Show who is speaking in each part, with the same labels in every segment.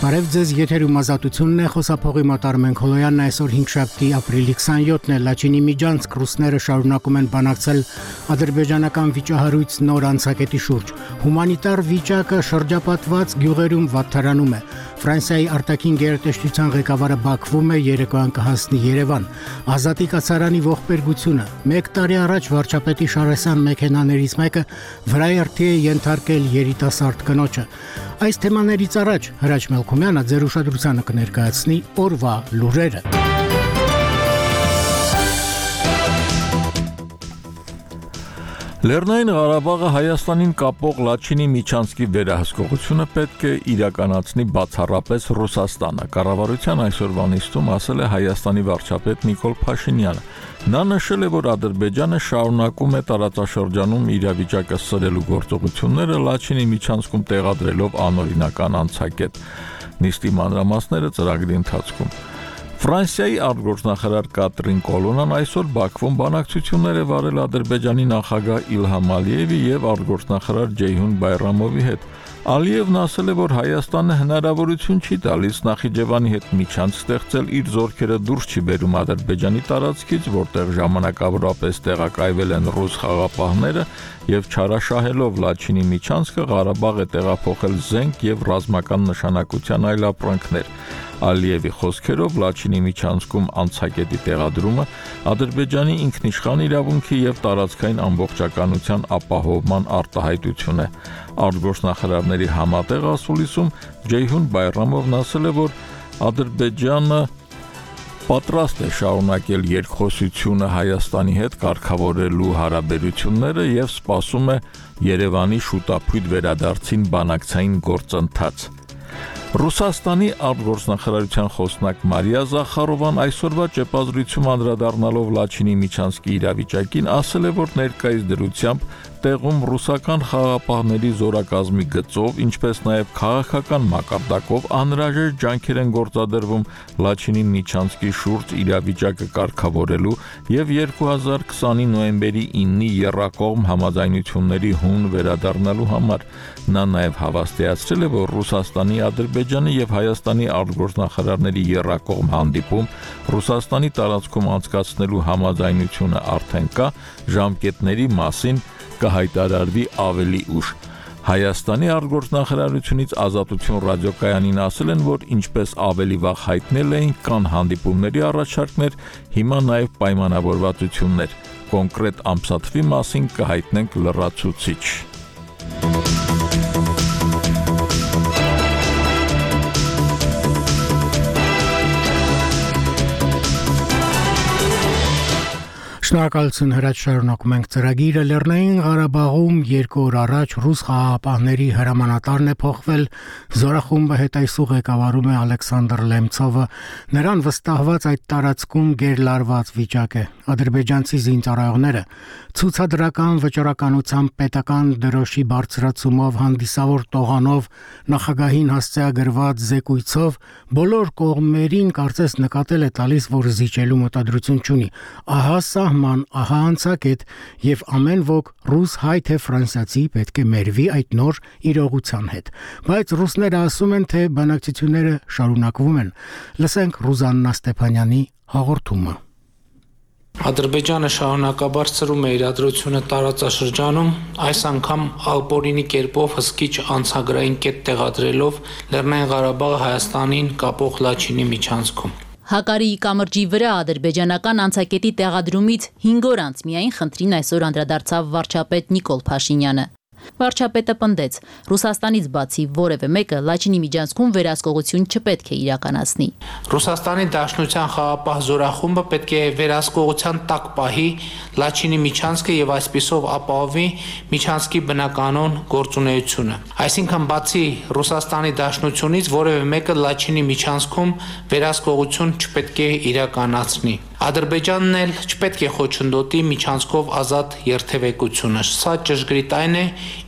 Speaker 1: Բարև ձեզ, եթերում ազատությունն է, խոսափողի Մատար Մենքոլոյանն այսօր 5-շաբթի ապրիլի 27-ն է, Լաչինի Միջանցք ռուսները շարունակում են բանակցել ադրբեջանական վիճահարույց նոր անցակետի շուրջ։ Հումանիտար վիճակը շրջապատված գյուղերում վատթարանում է։ Ֆրանսիայի արտաքին գերատեսչության ղեկավարը Բաքվում է, երեկոյան կհասնի Երևան։ Ազատի կացարանի ողբերգությունը։ 1 տարի առաջ վարչապետի Շարասյան մեքենաներից մեկը վրայերթի է ենթարկել երիտասարդ կնոջը։ Այս թեմաներից առաջ Հրաչ Մելքումյանը ձեր ուշադրությանը կներկայացնի օրվա լուրերը։
Speaker 2: Լեռնային Ղարաբաղը Հայաստանին կապող Լաչինի Միջանցքի վերահսկողությունը պետք է իրականացնի բացառապես Ռուսաստանը, կառավարության այսօրվա նիստում ասել է Հայաստանի վարչապետ Նիկոլ Փաշինյանը։ Նա նշել է, որ Ադրբեջանը շարունակում է տարածաշրջանում իրավիճակը սրելու գործողությունները Լաչինի Միջանցքում տեղադրելով անօրինական անցակետ։ Նիստի մանրամասները ծրագրի ընթացքում։ Ֆրանսիայի արտգործնախարար Կատրին Կոլոնան այսօր Բաքվում բանակցություններ է վարել Ադրբեջանի նախագահ Իլհամ Ալիևի եւ արտգործնախարար Ջեյհուն Բայրամովի հետ։ Ալիևն ասել է, որ Հայաստանը հնարավորություն չի տալիս Նախիջևանի հետ միջանց ստեղծել, իր զորքերը դուրս չի բերում Ադրբեջանի տարածքից, որտեղ ժամանակավորապես տեղակայվել են ռուս խաղապահները եւ չարաշահելով Լաչինի միջանցքը Ղարաբաղ է տեղափոխել զենք եւ ռազմական նշանակության այլ ապրանքներ։ Ալիևի խոսքերով Լաչինի միջանցքում անցակետի տեղադրումը Ադրբեջանի ինքնիշխան իրավունքի եւ տարածքային ամբողջականության ապահովման արտահայտություն է։ Արտգործնախարարների համատեղ ասուլիսում Ջեյհուն Բայրամովն ասել է, որ Ադրբեջանը պատրաստ է շարունակել երկխոսությունը Հայաստանի հետ կարգավորելու հարաբերությունները եւ սպասում է Երևանի շուտապույտ վերադարձին բանակցային գործընթաց։ Ռուսաստանի արտգործնախարարության խոսնակ Մարիա Զախարովան այսօրվա ճեպազրույցում անդրադառնալով Լաչինի Միջանցքի իրավիճակին ասել է, որ ներկայիս դրությամբ տեղում ռուսական խաղապահների զորակազմի գծով, ինչպես նաև քաղաքական մակարդակով անհրաժեշտ ջանքեր են գործադրվում Լաչինի Միջանցքի շուրջ իրավիճակը կարգավորելու եւ 2020-ի նոյեմբերի 9-ի եռակողմ համաձայնությունների հուն վերադառնալու համար։ Նա նաև հավաստիացրել է, որ Ռուսաստանի, Ադրբեջանի եւ Հայաստանի արտգործնախարարների եռակողմ հանդիպում Ռուսաստանի տարածքում անցկացնելու համաձայնությունը արդեն կա, ժամկետների մասին կհայտարարվի ավելի ուշ։ Հայաստանի արտգործնախարարությունից Ազատություն ռադիոկայանին ասել են, որ ինչպես ավելի վաղ հայտնել էին, կան հանդիպումների առաջարկներ, հիմա նաև պայմանավորվածություններ։ Կոնկրետ ամսաթվի մասին կհայտնենք լրացուցիչ։
Speaker 1: Շնորհակալություն Հրաչ, շարունակում ենք ծրագիրը։ Լեռնային Ղարաբաղում 2 օր առաջ ռուս խաղապահների հրամանատարն է փոխվել, զորախումբը հետայսու ղեկավարում է Ալեքսանդր Լեմցովը, նրան վստահված այդ տարածքում գերլարված վիճակ է։ Ադրբեջանցի զինծառայողները ցուցադրական վճռականությամբ պետական դրոշի բարձրացումով հանդիսավոր տողանով նախագահին հասցեագրված զեկույցով բոլոր կողմերին կարծես նկատել է տալիս, որ զիջելու մտադրություն չունի։ Ահա սահման, ահա անցակետ եւ ամեն ոք ռուս, հայ թե ֆրանսիացի պետք է մերվի այդ նոր իրողության հետ։ Բայց ռուսները ասում են, թե բանակցությունները շարունակվում են։ Լսենք Ռուզաննա Ստեփանյանի հաղորդումը։
Speaker 3: Ադրբեջանը շարունակաբար ծրում է իրադրությունը տարածաշրջանում, այս անգամ ալպորինի կերպով հսկիչ անցագրային կետ տեղադրելով Լեռնային Ղարաբաղը Հայաստանին կապող Լաչինի միջանցքում։
Speaker 4: Հակարիի կամրջի վրա ադրբեջանական անցակետի տեղադրումից 5 օր անց միայն խնդրին այսօր անդրադարձավ վարչապետ Նիկոլ Փաշինյանը։ Վարչապետը պնդեց, Ռուսաստանից բացի որևէ մեկը Լաչինի միջանցքում վերահսկողություն չպետք է իրականացնի։
Speaker 3: Ռուսաստանի Դաշնության խաղապահ զորախումբը պետք է վերահսկողության տակ պահի Լաչինի միջանցքը եւ այսպիսով ապահովի միջանցքի բնականon գործունեությունը։ Այսինքն բացի Ռուսաստանի Դաշնությունից որևէ մեկը Լաչինի միջանցքում վերահսկողություն չպետք է իրականացնի։ Ադրբեջանն էլ չպետք է խոչընդոտի միջանցքով ազատ երթևեկությունը։ Սա ճշգրիտ այն է,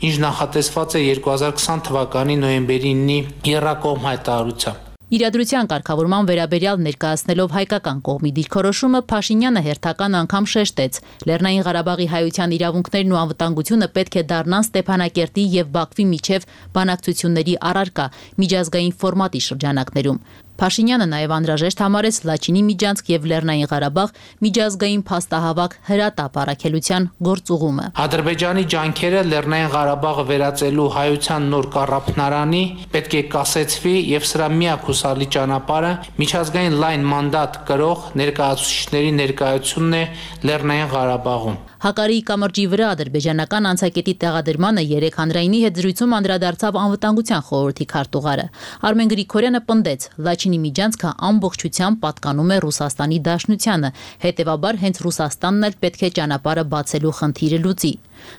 Speaker 3: ինչ նախատեսված է 2020 թվականի նոյեմբերի 9-ի եռակողմ հայտարարությամբ։
Speaker 4: Իրադրության կարգավորման վերաբերյալ ներկայացնելով հայկական կողմի դիրքորոշումը Փաշինյանը հերթական անգամ շեշտեց. Լեռնային Ղարաբաղի հայության իրավունքներն ու անվտանգությունը պետք է դառնան Ստեփանակերտի եւ Բաքվի միջև բանակցությունների առարկա միջազգային ֆորմատի շրջանակներում։ Փաշինյանը նաև անհրաժեշտ համարեց Լաչինի Միջանցք եւ Լեռնային Ղարաբաղ միջազգային փաստահավաք հրատապ առաքելության գործուղումը։
Speaker 3: Ադրբեջանի ջանքերը Լեռնային Ղարաբաղը վերածելու հայության նոր կառավարանի պետք է կասեցվի եւ սրա միակ հուսալի ճանապարհը միջազգային լայն մանդատ կրող ներկայացուցիչների ներկայությունն է Լեռնային Ղարաբաղում։
Speaker 4: Հակարիի կամրջի վրա ադրբեջանական անցակետի տեղադրմանը երեք հանրայինի հետ զրույցում անդրադարձավ անվտանգության խորհրդի քարտուղարը։ Արմեն Գրիգորյանը պնդեց, Լաչինի Միջանցքը ամբողջությամբ պատկանում է Ռուսաստանի Դաշնությանը, հետևաբար հենց Ռուսաստանն էլ պետք է ճանապարհը բացելու խնդիրը լուծի։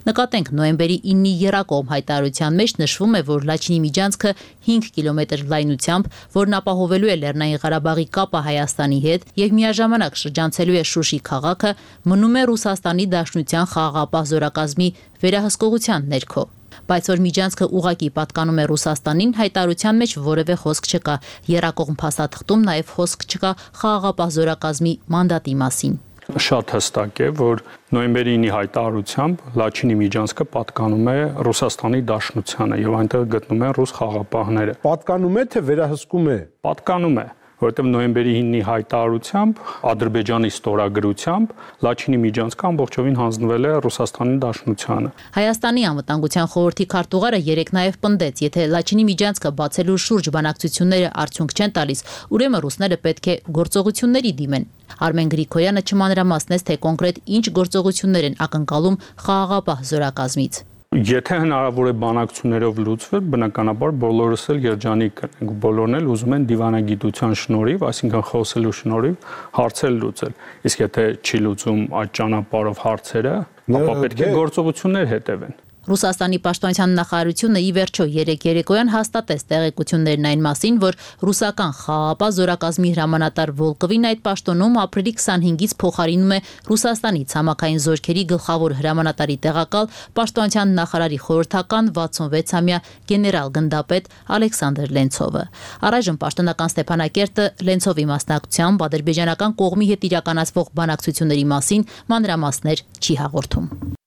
Speaker 4: Նկատենք նոյեմբերի 9-ի եռակողմ հայտարարության մեջ նշվում է, որ Լաչինի Միջանցքը 5 կիլոմետր լայնությամբ, որն ապահովելու է Լեռնային Ղարաբաղի կապը Հայաստանի հետ եւ միաժամանակ շրջանցելու է Շուշի քաղաքը, մնում է Ռուսաստանի Դաշնության խաղաղապահ զորակազմի վերահսկողության ներքո։ Բայց որ Միջանցքը ուղղակի պատկանում է Ռուսաստանին, հայտարարության մեջ որևէ խոսք չկա։ Եռակողմ փաստաթղթում նաև խոսք չկա խաղաղապահ զորակազմի մանդատի մասին։
Speaker 5: Շատ հստակ է, որ նոյեմբերի 9-ի հայտարարությամբ Լաչինի Միջանցքը պատկանում է Ռուսաստանի Դաշնությանը եւ այնտեղ գտնում են ռուս խաղաղապահները։
Speaker 6: Պատկանում է թե վերահսկում է։
Speaker 5: Պատկանում է, որովհետեւ նոյեմբերի 9-ի հայտարարությամբ Ադրբեջանի ստորագրությամբ Լաչինի Միջանցքը ամբողջովին հանձնվել է Ռուսաստանի Դաշնությանը։
Speaker 4: Հայաստանի անվտանգության խորհրդի քարտուղարը երեք նաև պնդեց, եթե Լաչինի Միջանցքը բացելու շուրջ բանակցությունները արդյունք չեն տալիս, ուրեմն ռուսները պետք է գործողությունների դիմեն։ Արմեն Գրիգորյանը չմանրամասնեց, թե կոնկրետ ինչ գործողություններ են ակնկալում խաղաղապահ զորակազմից։
Speaker 5: Եթե հնարավոր է բանակցություններով լուծվել, բնականաբար բոլորս էլ երջանիկ կնենք, բոլորն էլ ուզում են դիվանագիտության շնորհիվ, այսինքն խոսելու շնորհիվ հարցեր լուծել։ Իսկ եթե չի լուծում այդ ճանապարհով հարցերը, ապա պետք է գործողություններ հետևեն։
Speaker 4: Ռուսաստանի պաշտպանության նախարարությունը ի վերջո երեք երեկոյան հաստատեց տեղեկություններն այն մասին, որ ռուսական խաղաղապահ զորակազմի հրամանատար Վոլկովին այդ պաշտոնում ապրիլի 25-ից փոխարինում է Ռուսաստանի ցամաքային զորքերի գլխավոր հրամանատարի տեղակալ պաշտպանության նախարարի խորհրդական 66-ամյա գեներալ գնդապետ Ալեքսանդր Լենցովը։ Առայժմ պաշտոնական Ստեփանակերտը Լենցովի մասնակցությամբ ադրբեջանական կողմի հետ իրականացվող բանակցությունների մասին մանրամասներ չի հաղորդում։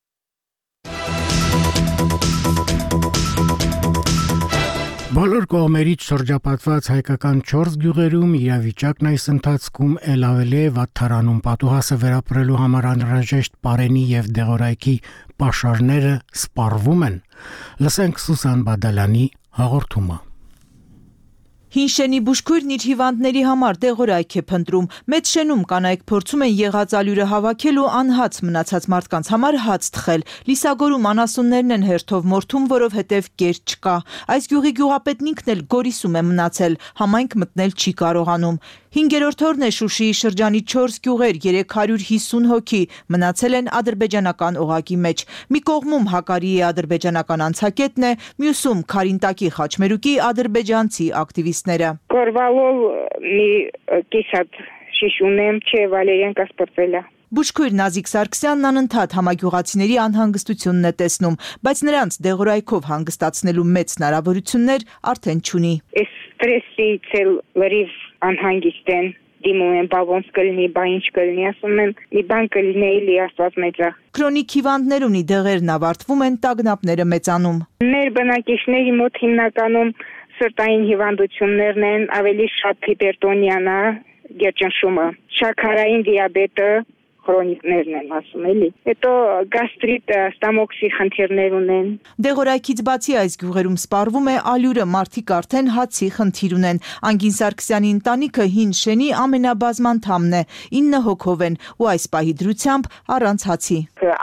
Speaker 1: Բոլոր կողմերից շրջապատված հայկական 4 գյուղերում իրավիճակն այս ընթացքում ել ավելի է վատթարանում պատուհասը վերապրելու համար անհրաժեշտ պարենի եւ դեղորայքի պաշարները սպառվում են։ Լսենք Սուսան Բադալյանի հաղորդումը։
Speaker 7: Հինշենի բուժքույրն իր հիվանդների համար դեղորայք է փնտրում։ Մեծ շենում կանայք փորձում են եղած ալյուրը հավաքել ու անհաց մնացած մարդկանց համար հաց թխել։ Լիսագորում անասուններն են հերթով մորթում, որովհետև կեր չկա։ Այս գյուղի գյուղապետն ինքն էլ Գորիսում է մնացել, համայնք մտնել չի կարողանում։ 5-րդ օրն է Շուշիի շրջանի 4 գյուղեր, 350 հոգի մնացել են ադրբեջանական օղակի մեջ։ Մի կողմում Հակարիի ադրբեջանական անցակետն է, մյուսում Քարինտակի խաչմերուկի ադրբեջանցի ակտիվիստները։
Speaker 8: Կորվալով մի կիսատ շիշ ունեմ, չէ, Վալերյան կասպրտել է։
Speaker 7: Բուժքույր Նազիկ Սարգսյանն անընդհատ համագյուղացիների անհանգստությունն է տեսնում, բայց նրանց դեղորայքով հանգստացնելու մեծ հնարավորություններ արդեն չունի։
Speaker 8: Այս ստրեսից էլ լրիվ անհանգիստ են, դիմում են, բա ոնց կլինի, բա ինչ կլինի, ասում են, մի բան կլինի, էլի Աստված մեծ է։
Speaker 7: Քրոնիկ հիվանդներ ունի, դեղերն ավարտվում են, տագնապները մեծանում։
Speaker 8: Մեր բնակիչների մոտ հիմնականում սրտային հիվանդություններն են, ավելի շատ հիպերտոնիան է, գերջանշումը, շաքարային դիաբետը, քրոնիկներն են ասում էլի։ Հետո գաստրիտ, ստամոքսի խնդիրներ ունեն։
Speaker 7: Դեղորայքից բացի այս գյուղերում սպառվում է ալյուրը, մարդիկ արդեն հացի խնդիր ունեն։ Անգին Սարգսյանի ընտանիքը հին շենի ամենաբազմանդամն է, 9 հոգով են ու այս պահի դրությամբ առանց հացի։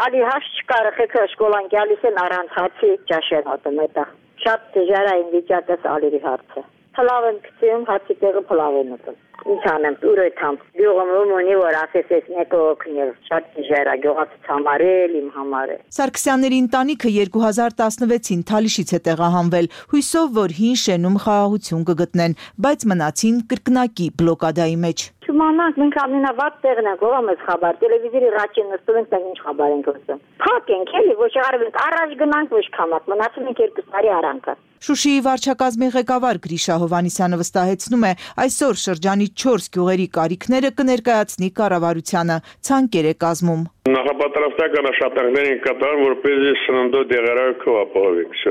Speaker 9: Ալի հաց չկա, եղեքը շկոլան գալիս են առանց հացի ճաշեր հոտում էտա։ Շատ դժվարային վիճակս ալերի հարցը։ Փլավ են գցում, հացի տեղը փլավ են ուտում։ Ինչ անեմ, ուրույթամ։ Գյուղում ունի, որ ասես ես մեկը օգնել, շատ դժվար է գյուղացից համար էլ, իմ համար է։
Speaker 7: Սարգսյանների ընտանիքը 2016-ին Թալիշից է տեղահանվել, հույսով, որ հին շենում խաղաղություն կգտնեն, բայց մնացին կրկնակի բլոկադայի մեջ։
Speaker 9: իմանանք, մենք ամենավատ տեղն ենք, ով ամես խաբար, տելևիզորի ռաչին նստում ենք, ինչ խաբար ենք լսում։ Փակ ենք, էլի, ոչ արվենք, առաջ գնանք, ոչ քամակ, մնացել ենք 2 տարի արանքը։
Speaker 7: Շուշիի վարչակազմի ղեկավար Գրիշա Հովհաննիսյանը վստահեցնում է, այսօր շրջանի 4 գյուղերի կարիքները կներկայացնի կառավարությանը, ցանկեր է կազմում։
Speaker 10: Նախապատրաստական աշխատանքներ են կատարում, որպեսզի սննդի դեղերարքը ապահովենք։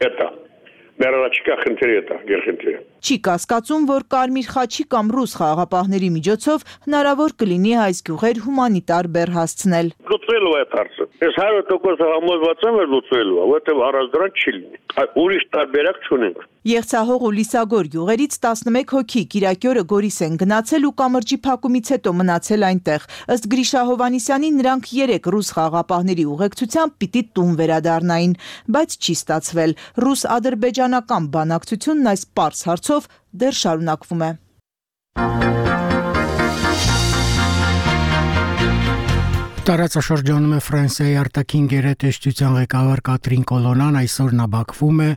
Speaker 10: Դա Մերոչկա խնդիրը դա, գերխնդիրը։
Speaker 7: Չի կասկածում, որ Կարմիր խաչի կամ ռուս խաղաղապահների միջոցով հնարավոր կլինի այս գյուղեր հումանիտար բեռ հասցնել։
Speaker 10: Լուծվելու է հարցը։ Ես 100% համոզված եմ, որ լուծվելու է, որտեղ առանց դրան չի լինի։ Ուրիշ տարբերակ չունենք։
Speaker 7: Եղցահող ու Լիսագոր գյուղերից 11 հոգի Կիրակի օրը Գորիս են գնացել ու կամրջի փակումից հետո մնացել այնտեղ։ Ըստ Գրիշա Հովհաննիսյանի նրանք 3 ռուս խաղաղապահների ուղեկցությամբ պիտի տուն վերադառնային, բայց չի ստացվել։ Ռուս-ադրբեջանական բանակցությունն այս պարզ հարցով դեռ շարունակվում է։
Speaker 1: Տարածաշրջանում է Ֆրանսիայի արտաքին գերատեսչության ղեկավար Կատրին Կոլոնան, այսօր նա Բաքվում է,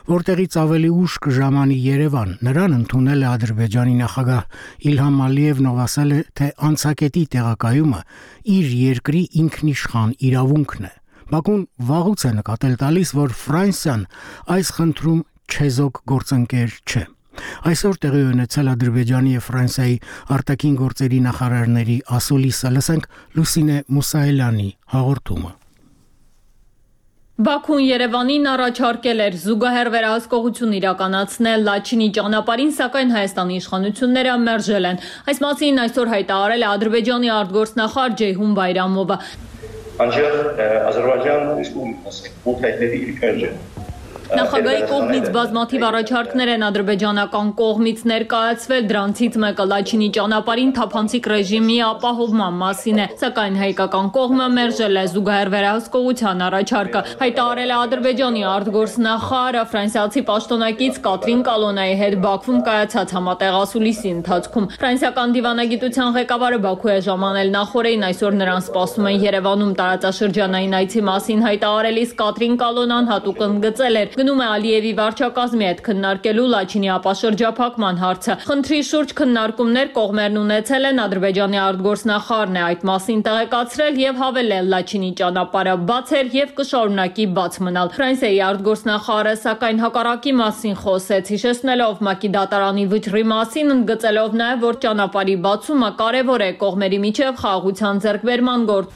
Speaker 1: որտեղից ավելի ուշ կժամանի Երևան։ Նրան ընդունել է Ադրբեջանի նախագահ Իլհամ Ալիևն, ով ասել է, թե անցակետի տեղակայումը իր երկրի ինքնիշխան իրավունքն է։ Բաքուն վաղուց է նկատել տալիս, որ Ֆրանսիան այս խնդրում չեզոք գործընկեր չէ։ Այսօր տեղի ունեցել Ադրբեջանի եւ Ֆրանսիայի արտաքին գործերի նախարարների ասուլիսը, լսենք Լուսինե Մուսայելյանի հաղորդումը։
Speaker 11: Բաքուն Երևանին առաջարկել էր զուգահեռ վերահսկողություն իրականացնել Լաչինի ճանապարհին, սակայն Հայաստանի իշխանությունները մերժել են։ Այս մասին այսօր հայտարարել է Ադրբեջանի արտգործնախարար Ceyhun Bayramova։ Նախագահի կողմից բազմաթիվ առաջարկներ են ադրբեջանական կողմից ներկայացվել, դրանցից մեկը Լաչինի ճանապարհին թափանցիկ ռեժիմի ապահովման մասին է, սակայն հայկական կողմը մերժել է զուգահեռ վերահսկողության առաջարկը, հայտարարել է Ադրբեջանի արտգործնախարարը ֆրանսիացի պաշտոնակից Կատրին Կոլոնայի հետ Բաքվում կայացած համատեղ ասուլիսի ընթացքում։ Ֆրանսիական դիվանագիտության ղեկավարը Բաքու է ժամանել նախորդին, այսօր նրան սպասում են Երևանում տարածաշրջանային այցի մասին հայտարարելիս Կատրին Կոլոնան հատուկ ընդգծել էր, գնում է Ալիևի վարչակազմի հետ քննարկելու Լաչինի ապաշրջափակման հարցը։ Խնդրի շուրջ քննարկումներ կողմերն ունեցել են, Ադրբեջանի արտգործնախարարն է այդ մասին տեղեկացրել եւ հավելել Լաչինի ճանապարհը բաց էր եւ կշարունակի բաց մնալ։ Ֆրանսիայի արտգործնախարարը սակայն հակառակի մասին խոսեց, հիշեցնելով ՄԱԿ-ի դատարանի վճռի մասին, ընդգծելով նաեւ, որ ճանապարհի բացումը կարեւոր է կողմերի միջև խաղաղության ձեռքբերման գործ։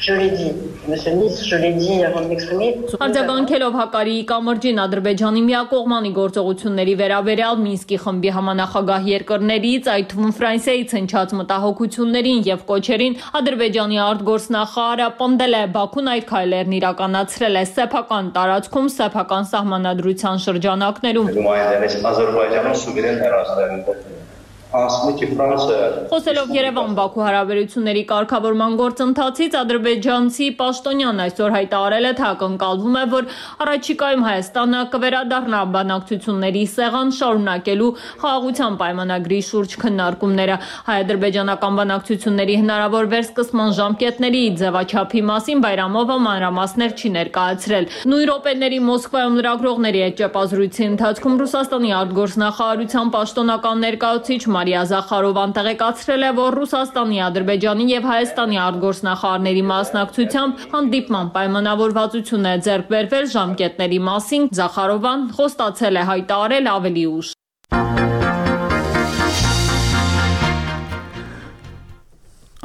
Speaker 12: Je l'ai dit, monsieur le ministre, je l'ai dit avant de m'exprimer.
Speaker 11: Արձագանքելով Հակարիի կամրջին Ադրբեջանի միակողմանի գործողությունների վերաբերյալ Մինսկի խմբի համանախագահ երկրներից, այդ թվում Ֆրանսիայից հնչած մտահոգություններին եւ կոչերին, Ադրբեջանի արտգործնախարարը պնդել է, Բաքուն այդ քայլերն իրականացրել է սեփական տարածքում, սեփական սահմանադրության շրջանակներում։
Speaker 12: Ադրբեջանը սուվերեն հեռացել
Speaker 11: Խոսելով Երևան-Բաքու հարաբերությունների կարգավորման գործընթացից, ադրբեջանցի պաշտոնյան այսօր հայտարարել է, թե ակնկալվում է, որ առաջիկայում Հայաստանը կվերադառնա բանակցությունների սեղան, շարունակելու խաղաղության պայմանագրի շուրջ քննարկումները։ Հայ-ադրբեջանական բանակցությունների հնարավոր վերսկսման ժամկետների ձևաչափի մասին Բայրամովը մանրամասներ չի ներկայացրել։ Նույն րոպեների Մոսկվայում լրագրողների հետ ճեպազրույցի ընթացքում Ռուսաստանի արտգործնախարարության պաշտոնական ներկայացուցիչ Մարիա Զախարովան տեղեկացրել է, որ Ռուսաստանի, Ադրբեջանի եւ Հայաստանի արտգործնախարարների մասնակցությամբ հանդիպման պայմանավորվածություն է ձեռք բերվել ժամկետների մասին։ Զախարովան խոստացել է հայտարարել ավելի ուշ։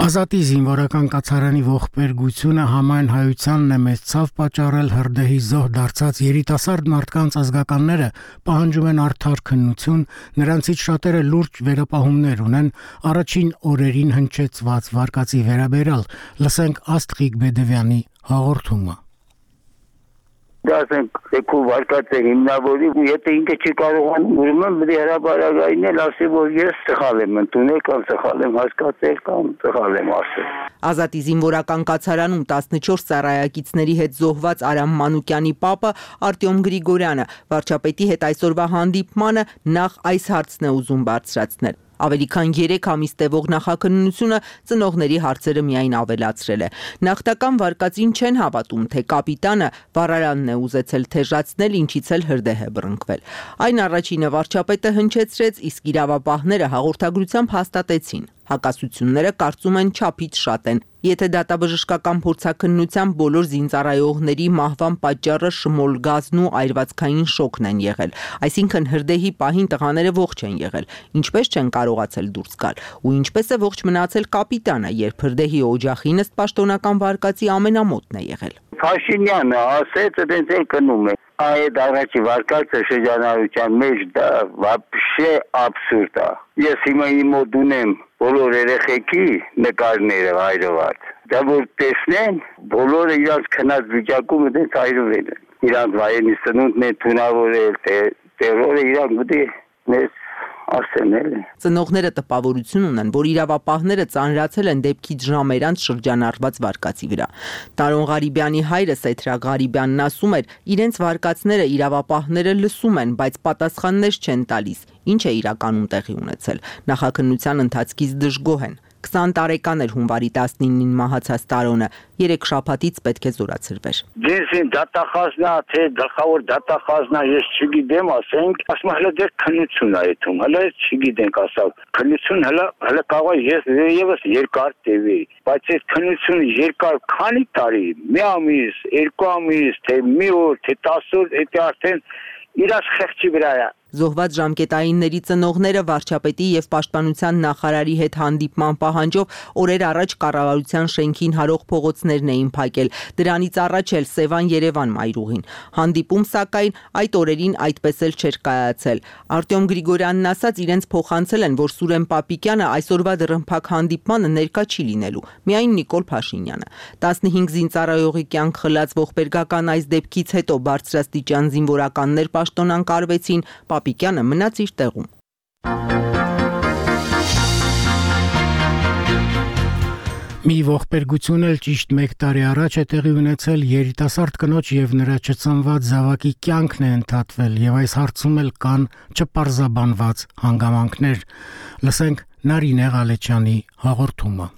Speaker 1: Ազատի զինվորական կացարանի ողբերգությունը համայն հայությանն է մեծ ցավ պատճառել, հրդեհի զոհ դարձած երիտասարդ մարդկանց ազգականները պահանջում են արդար քննություն, նրանցից շատերը լուրջ վերապահումներ ունեն առաջին օրերին հնչեցված վարկածի վերաբերյալ, լսենք Աստղիկ Բեդևյանի հաղորդումը։
Speaker 13: Դասենք եկու վարկածը հիմնավորի ու եթե ինքը չի կարողանում ուրեմն պետք է հրաբարագայինել ասի որ ես սխալ եմ ընդունել կամ սխալ եմ հասկացել կամ սխալ եմ ասել։
Speaker 7: Ազատի զինվորական կացարանում 14 ծառայակիցների հետ զոհված Արամ Մանուկյանի պապը Արտյոմ Գրիգորյանը վարչապետի հետ այսօրվա հանդիպմանը նախ այս հարցն է ուզում բարձրացնել։ Ավելի քան 3 ամիս տևող նախաքննությունը ծնողների հարցերը միայն ավելացրել է։ Նախնական վարկածին չեն հավատում, թե կապիտանը վառարանն է ուզեցել թեժացնել, ինչից էլ հրդեհ է բռնկվել։ Այն առաջինը վարչապետը հնչեցրեց, իսկ իրավապահները հաղորդագրությամբ հաստատեցին։ Հակասությունները կարծում են չափից շատ են։ Եթե դատաբժշկական փորձաքննության բոլոր զինծառայողների մահվան պատճառը շմոլ գազն ու այրվածքային շոկն են եղել, այսինքն հրդեհի պահին տղաները ողջ են եղել, ինչպես չեն կարողացել դուրս գալ, ու ինչպես է ողջ մնացել կապիտանը, երբ հրդեհի օջախին ըստ պաշտոնական վարկածի ամենամոտն է եղել։
Speaker 13: Փաշինյանը ասեց, դենց էլ կնում է։ Այդ առաջի վարկածը շրջանառության մեջ դա вообще абսուրդ է։ Ես հիմա իմ մոտ ունեմ բոլոր երեխեքի նկարները հայրված։ Դա որ տեսնեն, բոլորը իրանց քնած վիճակում դենց հայրվել են։ Իրանց վայրենի սնունդն է թունավորել, տերորը իրանք գտի մեզ ասենել։
Speaker 7: Ծնողները տպավորություն ունեն, որ իրավապահները ծանրացել են դեպքից ժամեր անց շրջանառված վարկածի վրա։ Տարոն Ղարիբյանի հայրը Սեթրակ Ղարիբյանն ասում էր, իրենց վարկածները իրավապահները լսում են, բայց պատասխաններ չեն տալիս, ինչ է իրականում տեղի ունեցել։ Նախաքննության ընթացքից դժգոհ են։ 20 տարեկան էր հունվարի 19-ին մահացած Տարոնը, 3 շաբաթից պետք է զորացրվեր։
Speaker 13: Դեսին դատախազնա, թե գլխավոր դատախազնա, ես չգիտեմ, ասենք, ասում հələ դեռ քննություն է այդում, հələ չգիտենք ասավ։ Քննություն հələ կարող է եւս երկար տևի, բայց այդ քննությունը երկար քանի տարի, մի ամիս, 2 ամիս, թե մի օր, թե 10 օր, դա արդեն իրաց խեղճի վրա է։
Speaker 7: Զոհված ժամկետայինների ծնողները վարչապետի եւ պաշտպանության նախարարի հետ հանդիպման պահանջով օրեր առաջ կառավարության շենքին հարող փողոցներն էին փակել։ Դրանից առաջ էլ Սևան-Երևան մայրուղին։ Հանդիպում սակայն այդ օրերին այդպես էլ չէր կայացել։ Արտյոմ Գրիգորյանն ասաց, իրենց փոխանցել են, որ Սուրեն Պապիկյանը այսօրվա դռնփակ հանդիպմանը ներկա չի լինելու, միայն Նիկոլ Փաշինյանը։ 15 զինծառայողի կյանք խլած ողբերգական այս դեպքից հետո բարձրաստիճան զինվորականներ պաշտոնանկարվեցին, Պապիկյանը մնաց իր տեղում։
Speaker 1: Մի ողբերգություն էլ ճիշտ 1 տարի առաջ է տեղի ունեցել, երիտասարդ կնոջ եւ նրա չծնված զավակի կյանքն է ընդհատվել եւ այս հարցում էլ կան չպարզաբանված հանգամանքներ։ Լսենք Նարինե Ղալեչյանի հաղորդումը։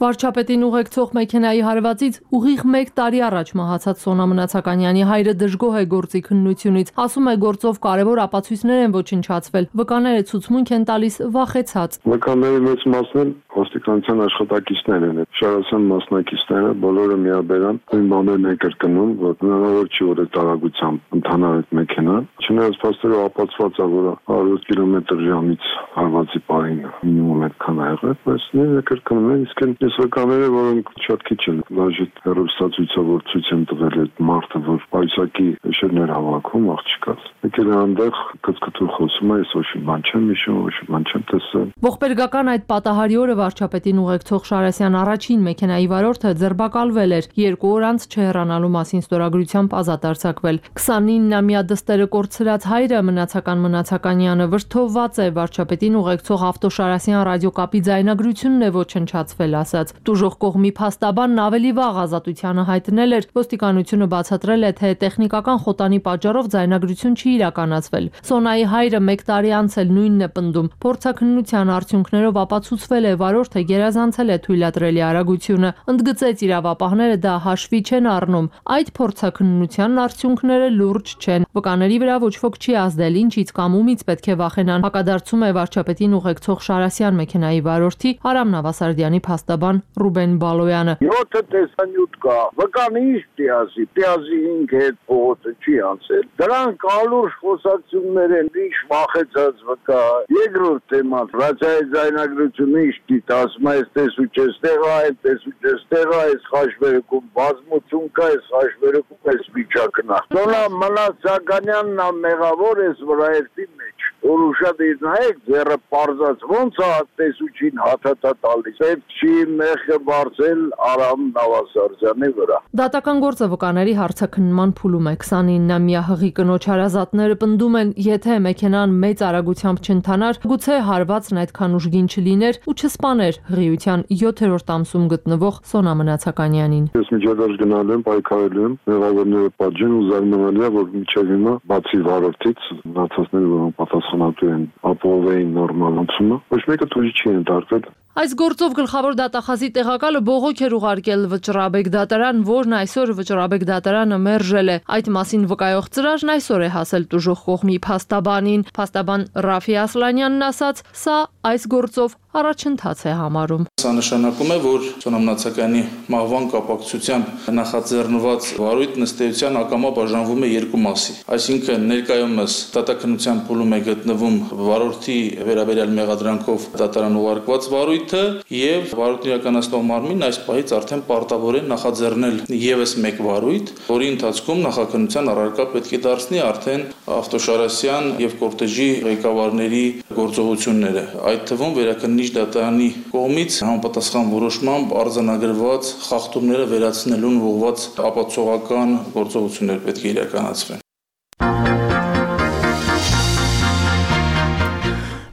Speaker 11: Վարչապետին ուղեկցող մեքենայի հարվածից ուղիղ 1 տարի առաջ մահացած Սոնա Մնացականյանի հայրը դժգոհ է գործի քննությունից, ասում է գործով կարևոր ապացույցներ են ոչնչացվել, վկաները ցուցմունք են տալիս վախեցած։
Speaker 14: Վկանների մեծ մասն էլ ոստիկանության աշխատակիցներ են, շարասան մասնակիցները բոլորը միաբերան այն բաներն են կրկնում, որ հնարավոր չի որ այդ տարածությամբ ընթանար այդ մեքենան, չնայած փաստորեն ապացված է, որ 100 կմ/ժ-ից հարվածի պահին մինիմում այդքան ա եղել, բայց նույնը կրկնում են, իսկ այս վկաները, որոնք շատ քիչ են, լաժիտ հեռուստացույցը, որ ցույց են տվել այդ մարդը, որ պայուսակի շերներ հավաքում աղջկաց։ Եկել է այնտեղ կծկտուր խոսում է, ես ոչ մի բան չեմ հիշում, ոչ մի բան չեմ տեսել։
Speaker 11: Ողբերգական այդ պատահարի օրը վարչապետին ուղեկցող Շարասյան առաջին մեքենայի վարորդը ձերբակալվել էր, 2 օր անց չհեռանալու մասին ստորագրությամբ ազատ արձակվել։ 29-ամյա դստերը կորցրած հայրը Մնացականյանը վրդովված է, վարչապետին ուղեկցող Ավտոշարասյան ռադիոկապի ձայնագրությունն է ոչնչացվել, ասաց։ Տուժող կողմի փաստաբանն ավելի վաղ ազատությանը հայտնել էր, ոստիկանությունը բացատրել է, թե տեխնիկական խոտանի պատճառով ձայնագրություն չի իրականացվել։ Սոնայի հայրը 1 տարի անց էլ նույնն է պնդում։ Փորձաքննության արդյունքներով ապացուցվել է, վարորդը գերազանցել է թույլատրելի արագությունը։ Ընդգծեց իրավապահները դա հաշվի չեն առնում։ Այդ փորձաքննության արդյունքները լուրջ չեն։ Վկաների վրա ոչ ոք չի ազդել, ինչից կամ ումից պետք է վախենան։ Հակադարձում է վարչապետին ուղեկցող Շարասյան մեքենայի վարորդի Արամ Նավասարդյանի փաստաբան Ռուբեն Բալոյանը։
Speaker 15: 7 տեսանյութ կա։ Վկան ինչ տիազի 5 հետ փողոցը չի անցել։ Դրանք ալուրջ խոսակցություններ են, ինչ վախեցած վկա։ Երկրորդ թեման, ռադիոյի ձայնագրությունը ինչ դիտա, ասում է, տեսու չես տեղա, տեսու չես տեղա, այս խաչվերքում բազմություն կա, այս խաչվերքում այս վիճակն է։ Սոնա Մնացականյանն ամեղավոր էս վրայերտի մեջ։ Որ ուշադիր նայեք, ձեռը պարզած ոնց է տեսուչին հաթաթա տալիս։ Պետք չի մեղքը բարձել Արամ Նավասարդյանի վրա։
Speaker 11: Դատական գործը վկաների հարցաքննման փուլում է։ 29-ամյա հղի կնոջ հարազատները պնդում են, եթե մեքենան մեծ արագությամբ չընթանար, գուցե հարվածն այդքան ուժգին չլիներ ու չսպաներ հղիության 7-րդ ամսում գտնվող Սոնա Մնացականյանին։
Speaker 14: Ես միջադարձ գնալ եմ, պայքարել եմ, մեղավորները պատժեն ու զարմանալի է, որ մինչև հիմա բացի վարորդից մնացածները, որոնք պատասխան պատասխանատու են ապահովեին նորմալ անցումը, ոչ մեկը թույլ չի ընդարձել։
Speaker 16: Այս գործով գլխավոր դատախազի տեղակալը բողոք էր ուղարկել Վճռաբեկ դատարան, որն այսօր Վճռաբեկ դատարանը մերժել է։ Այդ մասին վկայող ծրարն այսօր է հասել տուժող կողմի փաստաբանին։ Փաստաբան Ռաֆի Ասլանյանն ասաց, սա այս գործով առաջընթաց է համարում։
Speaker 17: Սա նշանակում է, որ ծնամնացականի մահվան կապակցությամբ նախաձեռնված վարույթն ըստ էության ակամա բաժանվում է երկու մասի։ Այսինքն ներկայումս դատաքննության փուլում է գտնվում վարորդի վերաբերյալ մեղադրանքով դատարան ուղարկված վարույթը եւ վարույթն իրականացնող մարմինն այս պահից արդեն պարտավոր է նախաձեռնել եւս մեկ վարույթ, որի ընթացքում նախաքննության առարկա պետք է դարձնի արդեն ավտոշարասյան եւ կորտեժի ղեկավարների գործողությունները։ Այդ թվում վերաքննիչ դատարանի կողմից համապատասխան որոշմամբ արձանագրված խախտումները վերացնելուն ուղղված ապացուցողական գործողություններ պետք է իրականացվեն։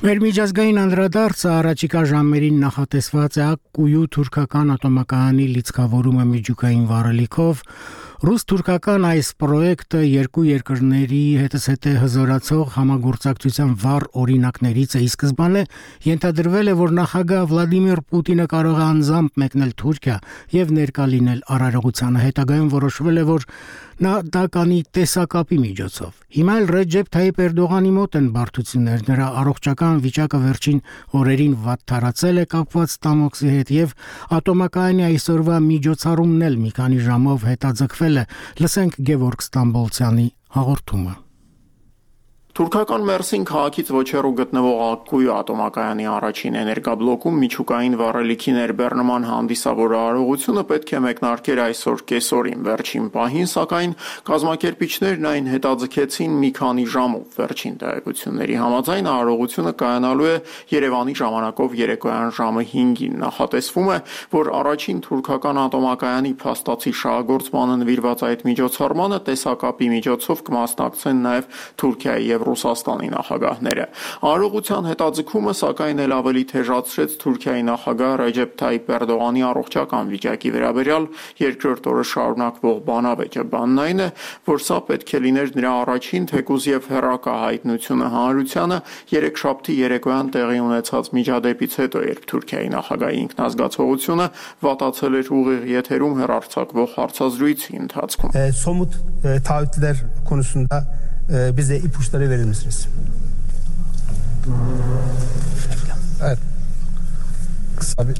Speaker 1: Մեր միջազգային անդրադարձը առաջիկա ժամերին նախատեսված է Ակկույու թուրքական ատոմակայանի լիցքավորումը միջուկային վառելիքով։ Ռուս-թուրքական այս պրոյեկտը երկու երկրների հետզհետե հզորացող համագործակցության վառ օրինակներից է, ի սկզբանե ենթադրվել է, որ նախագահ Վլադիմիր Պուտինը կարող է անձամբ մեկնել Թուրքիա եւ ներկա լինել արարողությանը, հետագայում որոշվել է, որ նա դա կանի տեսակապի միջոցով։ Հիմա էլ Ռեջեփ Թայիփ Էրդողանի մոտ են բարդություններ, նրա առողջական վիճակը վերջին օրերին վատթարացել է կապված ստամոքսի հետ եւ ատոմակայանի այսօրվա միջոցառումն էլ մի քանի ժամով հետաձգվել է։ Լսենք Գևորգ Ստամբոլցյանի հաղորդումը։
Speaker 18: Թուրքական Մերսին քաղաքից ոչ հեռու գտնվող Ակկույու ատոմակայանի առաջին էներգաբլոկում միջուկային վառելիքի ներբեռնման հանդիսավոր արարողությունը պետք է մեկնարկեր այսօր կեսօրին։ Վերջին պահին, սակայն, կազմակերպիչներն այն հետաձգեցին մի քանի ժամով։ Վերջին տեղեկությունների համաձայն արարողությունը կայանալու է Երևանի ժամանակով երեկոյան ժամը 5-ին։ Նախատեսվում է, որ առաջին թուրքական ատոմակայանի փաստացի շահագործմանը նվիրված այդ միջոցառմանը տեսակապի միջոցով կմասնակցեն նաև Թուրքիայի եւ Ռուսաստանի նախագահները։ Արարողության հետաձգումը սակայն էլ ավելի թեժացրեց Թուրքիայի նախագահ Ռեջեփ Թայիփ Էրդողանի առողջական վիճակի վերաբերյալ երկրորդ օրը շարունակվող բանավեճը։ Բանն այն է, որ սա պետք է լիներ նրա առաջին թեկուզ եւ հեռակա հայտնությունը հանրությանը երեքշաբթի երեկոյան տեղի ունեցած միջադեպից հետո, երբ Թուրքիայի նախագահի ինքնազգացողությունը վատացել էր ուղիղ եթերում հեռարձակվող հարցազրույցի ընթացքում։
Speaker 19: Somut taahhütler konusunda bize ipuçları verir misiniz? Evet. Kısa bir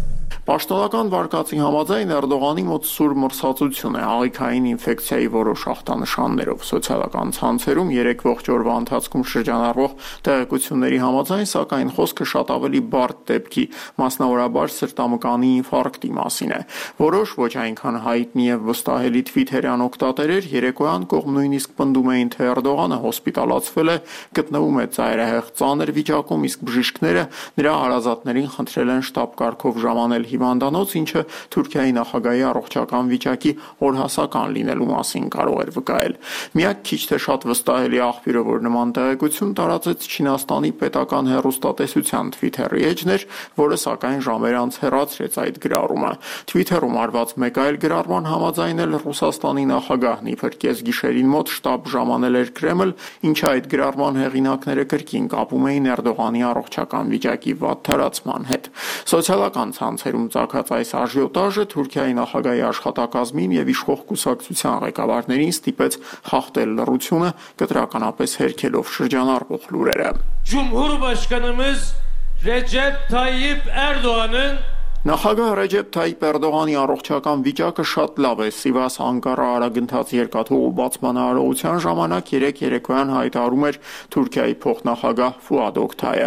Speaker 18: Պաշտոնական վարկածի համաձայն Էրդողանի մոտ սուր մրսածություն է, աղիքային ինֆեկցիայի որոշ ախտանշաններով։ Սոցիալական ցանցերում երեկվող օրվա ընթացքում շրջանառվող տեղեկությունների համաձայն, սակայն խոսքը շատ ավելի բարդ դեպքի, մասնավորաբար սրտամկանի ինֆարկտի մասին է։ Որոշ ոչ այնքան հայտնի եւ վստահելի թվիթերյան օգտատերեր երեկոյան կողմ նույնիսկ պնդում էին, թե Էրդողանը հոսպիտալացվել է, գտնվում է ծայրահեղ ծանր վիճակում, իսկ բժիշկները նրա հարազատներին խնդրել են շտապ կարգով ժամանել հիվանդանոց, ինչը Թուրքիայի նախագահի առողջական վիճակի օրհասական լինելու մասին կարող էր վկայել։ Միակ քիչ թե շատ վստահելի աղբյուրը, որ նման տեղեկություն տարածեց Չինաստանի պետական հեռուստատեսության Twitter-ի էջն էր, որը սակայն ժամեր անց հեռացրեց այդ գրառումը։ Twitter-ում արված մեկ այլ գրառման համաձայն էլ Ռուսաստանի նախագահն իբր կեսգիշերին մոտ շտապ ժամանել էր Կրեմլ, ինչը այդ գրառման հեղինակները կրկին կապում էին Էրդողանի առողջական վիճակի վատթարացման հետ։ Սոցիալական ցանցերում ծագած այս աժիոտաժը Թուրքիայի նախագահի աշխատակազմին եւ իշխող կուսակցության ղեկավարներին ստիպեց խախտել լռությունը, կտրականապես հերքելով շրջանառվող լուրերը։
Speaker 20: Cumhurbaşkanımız Recep Tayyip Erdoğan'ın
Speaker 18: Նախագահ Ռեջեփ Թայիփ Էրդողանի առողջական վիճակը շատ լավ է։ Սիվաս Անկարա արագընթաց երկաթուղու բացման արարողության ժամանակ երեկոյան հայտարարում էր Թուրքիայի փոխնախագահ Ֆուադ Օկտայը։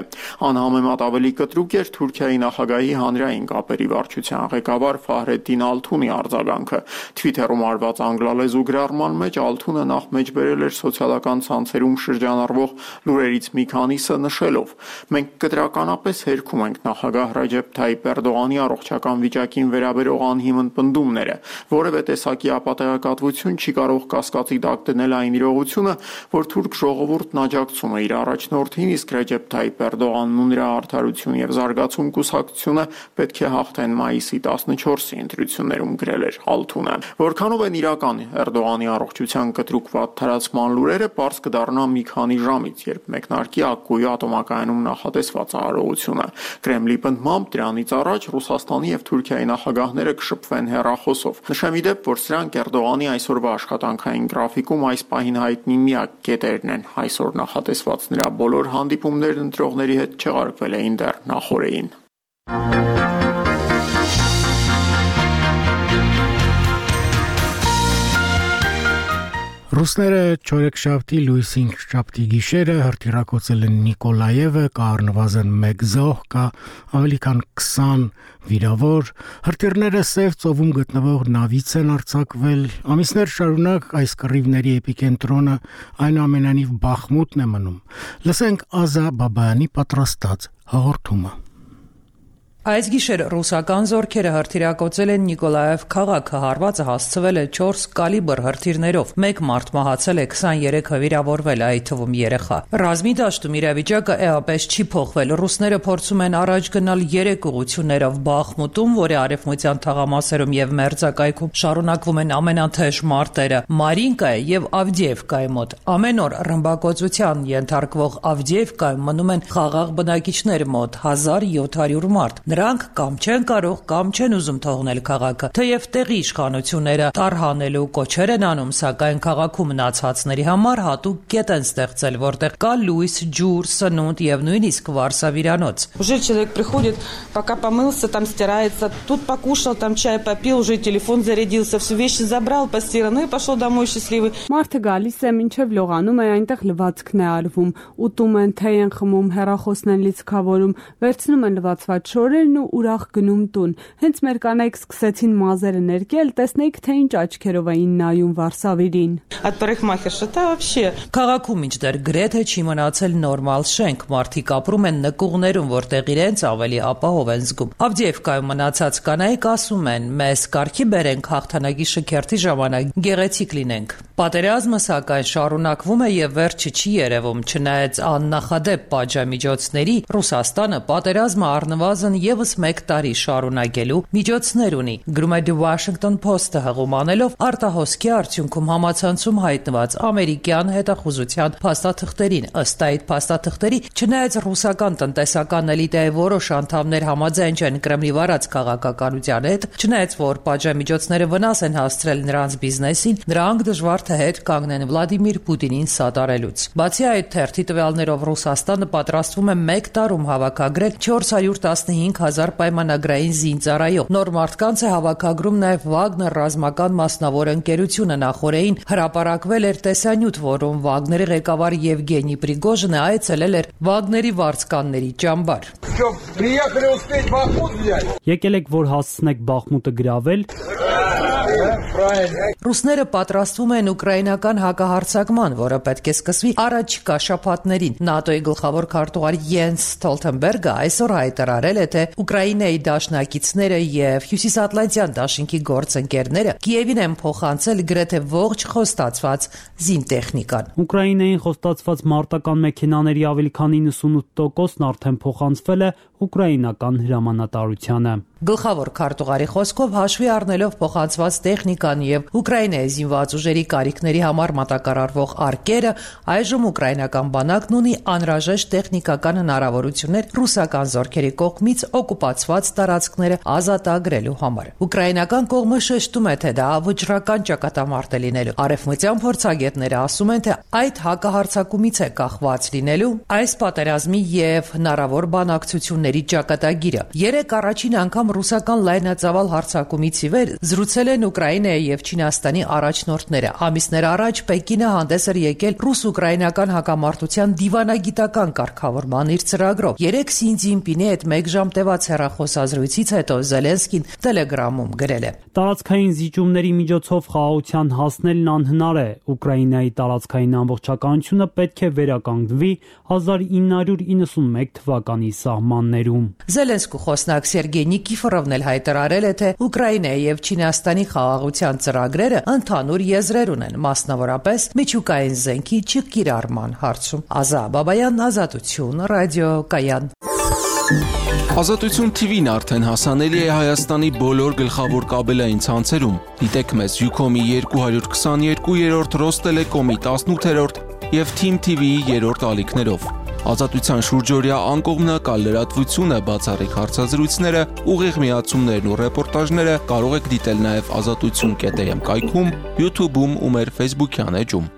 Speaker 18: Անհամեմատ ավելի կտրուկ էր Թուրքիայի նախագահի հանրային կապերի վարչության ղեկավար Ֆահրեդդին Ալթունի արձագանքը։ Twitter-ում արված անգլալեզու գրառման մեջ Ալթունը նախ մեջբերել էր սոցիալական ցանցերում շրջանառվող լուրերից մի քանիսը նշելով. «Մենք կտրականապես հերքում ենք նախագահ Ռեջեփ Թայիփ Էրդողանի առողջական վիճակին վերաբերող անհիմն պնդումները։ Որևէ տեսակի ապատեգատվություն չի կարող կասկածի տակ դնել այն իրողությունը, որ թուրք ժողովուրդն աջակցում է իր առաջնորդին, իսկ Ռեջեփ Թայիփ Էրդողանն ու նրա Արդարություն եւ զարգացում կուսակցությունը պետք է հաղթեն մայիսի 14-ի ընտրություններում, գրել էր Ալթունը։ Որքանով են իրական Էրդողանի առողջության կտրուկ վատթարացման լուրերը, պարզ կդառնա մի քանի ժամից, երբ մեկնարկի Ակկուի ատոմակայանում նախատեսված արարողությունը։ Կրեմլի պնդմամբ դրանից առաջ Ռուսաստանի եւ Թուրքիայի նախագահները կշփվեն հեռախոսով։ Նշեմ ի դեպ, որ սրանք Էրդողանի այսօրվա աշխատանքային գրաֆիկում այս պահին հայտնի միակ կետերն են։ Այսօր նախատեսված նրա բոլոր հանդիպումներն ընտրողների հետ չեղարկվել էին դեռ նախօրեին։
Speaker 1: Ռուսները չորեքշաբթի լույսին շաբթի գիշերը հրթիռակոծել են Նիկոլաևը, կա առնվազն 1 զոհ, կա ավելի քան 20 վիրավոր։ Հրթիռները Սև ծովում գտնվող նավից են արձակվել։ Ամիսներ շարունակ այս կռիվների էպիկենտրոնը այնուամենայնիվ Բախմուտն է մնում։ Լսենք Ազա Բաբայանի պատրաստած հաղորդումը։
Speaker 21: Այս գիշեր ռուսական զորքերը հրթիռակոծել են Նիկոլաև քաղաքը, հարվածը հասցվել է 4 կալիբր հրթիռներով, 1 մարդ մահացել է, 23-ը վիրավորվել, այդ թվում երեխա։ Ռազմի դաշտում իրավիճակը էապես չի փոխվել։ Ռուսները փորձում են առաջ գնալ 3 ուղղություններով Բախմուտում, որի արևմտյան թաղամասերում եւ մերձակայքում շարունակվում են ամենաթեժ մարտերը, Մարինկայի եւ Ավդիևկայի մոտ։ Ամեն օր ռմբակոծության ենթարկվող Ավդիևկայում մնում են խաղաղ բնակիչներ մոտ 1700 մարդ։ Նրանք կամ չեն կարող, կամ չեն ուզում թողնել քաղաքը։ Թեև տեղի իշխանությունները տարհանելու կոչեր են անում, սակայն քաղաքում մնացածների համար հատուկ կետ են ստեղծել, որտեղ կա լույս, ջուր, սնունդ եւ նույնիսկ վարսավիրանոց։
Speaker 22: Уже человек приходит, пока помылся, там стирается, тут покушал, там чай попил, уже телефон зарядился, все вещи забрал, постирал, и пошел домой счастливый.
Speaker 23: Մարդը գալիս է մինչև լողանում է, այնտեղ լվացքն է արվում, ուտում են, թեյ են խմում, հեռախոսն են լիցքավորում, վերցնում են լվացված շորերն ու ուրախ գնում տուն։ Հենց մեր կանայք սկսեցին մազերը ներկել, տեսնեիք, թե ինչ աչքերով էին նայում վարսավիրին։
Speaker 22: От парикмахерша-то вообще.
Speaker 21: Քաղաքում մինչդեռ գրեթե չի մնացել նորմալ շենք, մարդիկ ապրում են նկուղներում, որտեղ իրենց ավելի ապահով են զգում։ Ավդիևկայում մնացած կանայք ասում են, մեզ կարգի բերենք հաղթանակի շքերթի ժամանակ գեղեցիկ լինենք։ Պատերազմը սակայն շարունակվում է եւ վերջը չի երևում, չնայած աննախադեպ պատժամիջոցների Ռուսաստանը պատերազմը առնվազն եւս 1 տարի շարունակելու միջոցներ ունի։ Գրում է The Washington Post-ը հղում անելով արտահոսքի արդյունքում համացանցում հայտնված ամերիկյան հետախուզության փաստաթղթերին։ Ըստ այդ փաստաթղթերի, չնայած ռուսական տնտեսական էլիտայի որոշ անդամներ համաձայն չեն Կրեմլի վարած քաղաքականության հետ, չնայած որ պատժամիջոցները վնաս են հասցրել նրանց բիզնեսին, նրանք դժվար թե հետ կանգնեն Վլադիմիր Պուտինին սատարելուց։ Բացի այդ, թերթի տվյալներով Ռուսաստանը պատրաստվում է 1 տարում հավաքագրել 415,000 պայմանագրային զինծառայող։ Նոր մարդկանց է հավաքագրում նաև Վագներ ռազմական մասնավոր ընկերությունը։ Նախորդին հրապարակվել էր տեսանյութ, որում Վագների ղեկավար Եվգենի Պրիգոժինը այցելել էր Վագների վարձկանների ճամբար։
Speaker 23: Եկել եք, որ հասցնեք Բախմուտը գրավել։
Speaker 21: Ռուսները պատրաստվում են ուկրաինական հակահարձակման, որը պետք է սկսվի առաջիկա շաբաթներին։ ՆԱՏՕ-ի գլխավոր քարտուղար Յենս Ստոլտենբերգը այսօր հայտարարել է, թե Ուկրաինայի դաշնակիցները եւ Հյուսիսատլանտյան դաշինքի գործընկերները Կիևին են փոխանցել գրեթե ողջ խոստացված զինտեխնիկան։
Speaker 23: Ուկրաինային խոստացված մարտական մեքենաների ավելի քան 98%-ն արդեն փոխանցվել է ուկրաինական հրամանատարությանը։
Speaker 21: Գլխավոր քարտուղարի խոսքով հաշվի առնելով փոխանցված տեխնիկան եւ Ուկրաինայի զինված ուժերի կարիքների համար մատակարարվող արկերը, այժմ ուկրաինական բանակն ունի անհրաժեշտ տեխնիկական հնարավորություններ ռուսական զորքերի կողմից օկուպացված տարածքները ազատագրելու համար։ Ուկրաինական կողմը շեշտում է, թե դա վճռական ճակատամարտ է լինելու։ Արևմտյան փորձագետները ասում են, թե այդ հակահարձակումից է կախված լինելու այս պատերազմի եւ հնարավոր բանակցությունների ճակատագիրը։ Երեք առաջին անգամ ռուսական լայնածավալ հարձակումից ի վեր զրուցել են Ուկրաինայի եւ Չինաստանի առաջնորդները։ Ամիսներ առաջ Պեկինը հանդես էր եկել ռուս-ուկրաինական հակամարտության դիվանագիտական կարգավորման իր ծրագրով։ Երեք Սի Ցզինպինի հետ 1 ժամ տևած հեռախոսազրույցից հետո Զելենսկին Տելեգրամում գրել է.
Speaker 23: Տարածքային զիջումների միջոցով խաղաղության հասնելն անհնար է։ Ուկրաինայի տարածքային ամբողջականությունը պետք է վերականգնվի 1991 թվականի սահմաններում։
Speaker 21: Զելենսկու խոսնակ Սերգեյ Նիկիֆորովը Նիքիֆորովն էլ հայտարարել է, թե Ուկրաինայի եւ Չինաստանի խաղաղության ծրագրերը ընդհանուր եզրեր ունեն, մասնավորապես միջուկային զենքի չկիրառման հարցում։ Ազա Բաբայան, Ազատություն, ռադիո Կայան։
Speaker 2: Ազատություն TV-ն արդեն հասանելի է Հայաստանի բոլոր գլխավոր կաբելային ցանցերում։ Դիտեք մեզ Ucom-ի 222-րդ, Ռոստելեկոմի 18-րդ եւ Team TV-ի 3-րդ ալիքներով։ Ազատության շուրջօրյա անկողմնակալ լրատվությունը, բացառիկ հարցազրույցները, ուղիղ միացումներն ու ռեպորտաժները կարող եք դիտել նաեւ azatutun.am կայքում, YouTube-ում ու մեր Facebook-յան էջում։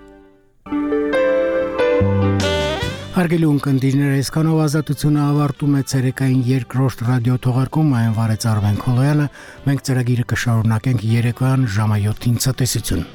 Speaker 1: Հարգելի ունկնդիրներ, այսքանով Ազատությունը ավարտում է ցերեկային երկրորդ ռադիո թողարկումը, այն վարեց Արմեն Քոլոյանը, մենք ծրագիրը կշարունակենք երեկոյան ժամը 7-ին ցտեսություն։